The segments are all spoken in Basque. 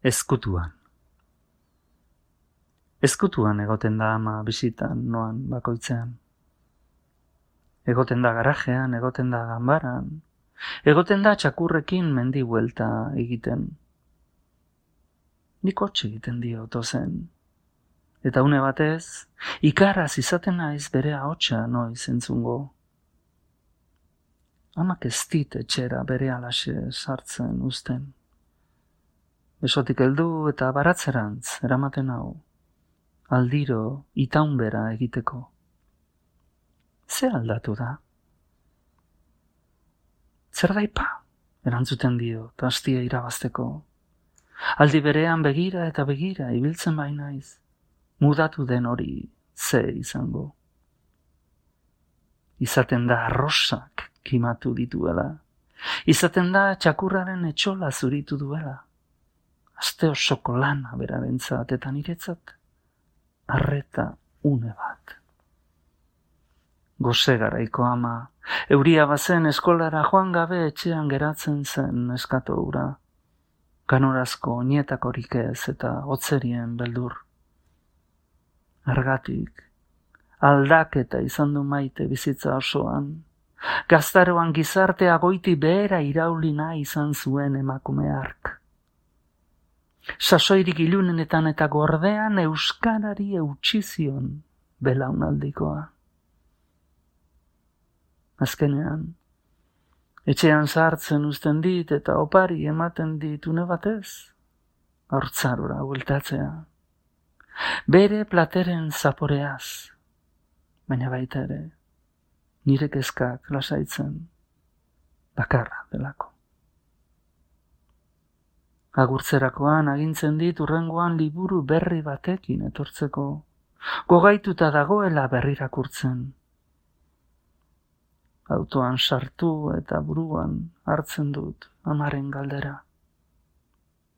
Ezkutuan. Ezkutuan egoten da ama bisitan noan bakoitzean. Egoten da garajean, egoten da ganbaran, egoten da txakurrekin mendi buelta egiten. Nik hotx egiten dio tozen. Eta une batez, ikaraz izaten naiz bere ahotsa noiz entzungo. Amak ez dit etxera bere alaxe sartzen uzten. Besotik heldu eta baratzerantz eramaten hau. Aldiro itaunbera egiteko. Ze aldatu da? Zer daipa? Erantzuten dio, tastia irabazteko. Aldi berean begira eta begira ibiltzen bainaiz. Mudatu den hori ze izango. Izaten da arrosak kimatu dituela. Izaten da txakurraren etxola zuritu duela. Aste osoko lana berarentzat eta niretzat. Arreta une bat. Gose garaiko ama, euria bazen eskolara joan gabe etxean geratzen zen eskato hura. Ganorazko oinetakorik ez eta hotzerien beldur. Argatik, aldaketa izan du maite bizitza osoan. Gaztaroan gizartea goiti behera irauli nahi izan zuen emakume hark. Sasoirik ilunenetan eta gordean euskarari eutxizion belaunaldikoa. Azkenean, etxean sartzen uzten dit eta opari ematen dit une batez, haurtzarora bueltatzea. Bere plateren zaporeaz, baina baita ere, nire kezkak lasaitzen, bakarra delako. Agurtzerakoan agintzen dit urrengoan liburu berri batekin etortzeko, gogaituta dagoela berrirakurtzen. Autoan sartu eta buruan hartzen dut amaren galdera.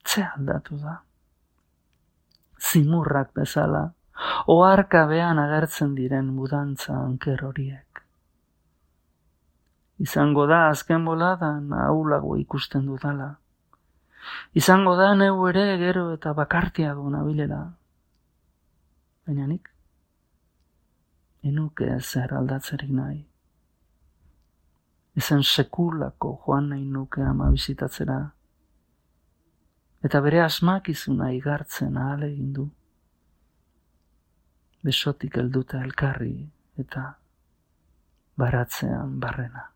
Ze aldatu da? Zimurrak bezala, oharkabean agertzen diren mudantza anker horiek. Izango da azken boladan ahulago ikusten dudala. Izango da neu ere gero eta bakartiago nabilela. Baina nik, enuke zer aldatzerik nahi. Ezen sekulako joan nahi nuke ama bisitatzera. Eta bere asmakizuna igartzen ahalegin du. Besotik helduta elkarri eta baratzean barrena.